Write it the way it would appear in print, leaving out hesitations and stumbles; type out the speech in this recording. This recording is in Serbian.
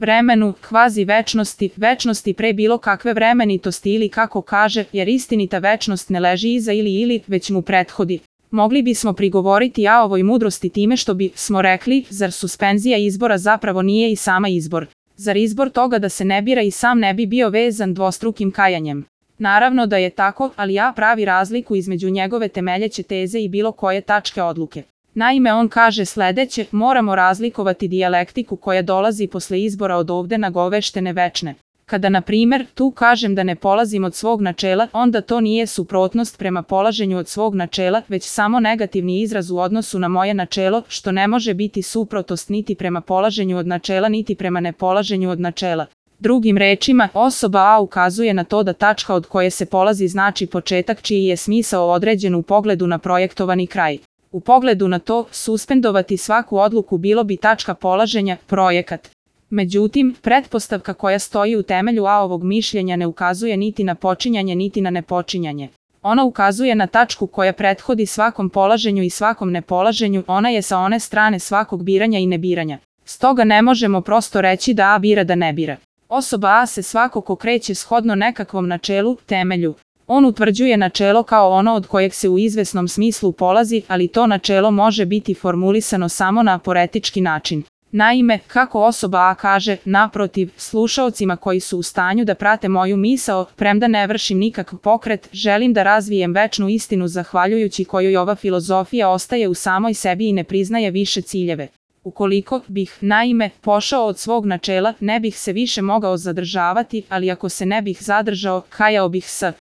vremenu, kvazi večnosti, večnosti pre bilo kakve vremenitosti ili kako kaže, jer istinita večnost ne leži iza ili, već mu prethodi. Mogli bismo prigovoriti ovoj mudrosti time što smo rekli, zar suspenzija izbora zapravo nije i sama izbor? Zar izbor toga da se ne bira i sam ne bi bio vezan dvostrukim kajanjem? Naravno da je tako, ali pravi razliku između njegove temeljeće teze i bilo koje tačke odluke. Naime, on kaže sledeće, moramo razlikovati dijalektiku koja dolazi posle izbora od ovde nagoveštene večne. Kada, na primjer, tu kažem da ne polazim od svog načela, onda to nije suprotnost prema polaženju od svog načela, već samo negativni izraz u odnosu na moje načelo, što ne može biti suprotnost niti prema polaženju od načela, niti prema nepolaženju od načela. Drugim rečima, osoba A ukazuje na to da tačka od koje se polazi znači početak čiji je smisao određen u pogledu na projektovani kraj. U pogledu na to, suspendovati svaku odluku bilo bi tačka polaženja, projekat. Međutim, pretpostavka koja stoji u temelju ovog mišljenja ne ukazuje niti na počinjanje niti na nepočinjanje. Ona ukazuje na tačku koja prethodi svakom polaženju i svakom nepolaženju, ona je sa one strane svakog biranja i nebiranja. Stoga ne možemo prosto reći da A bira da ne bira. Osoba A se svakako kreće shodno nekakvom načelu, temelju. On utvrđuje načelo kao ono od kojeg se u izvesnom smislu polazi, ali to načelo može biti formulisano samo na aporetički način. Naime, kako osoba A kaže, naprotiv, slušaocima koji su u stanju da prate moju misao, premda ne vršim nikakav pokret, želim da razvijem večnu istinu zahvaljujući kojoj ova filozofija ostaje u samoj sebi i ne priznaje više ciljeve. Ukoliko bih, naime, pošao od svog načela, ne bih se više mogao zadržavati, ali ako se ne bih zadržao, kajao bih se.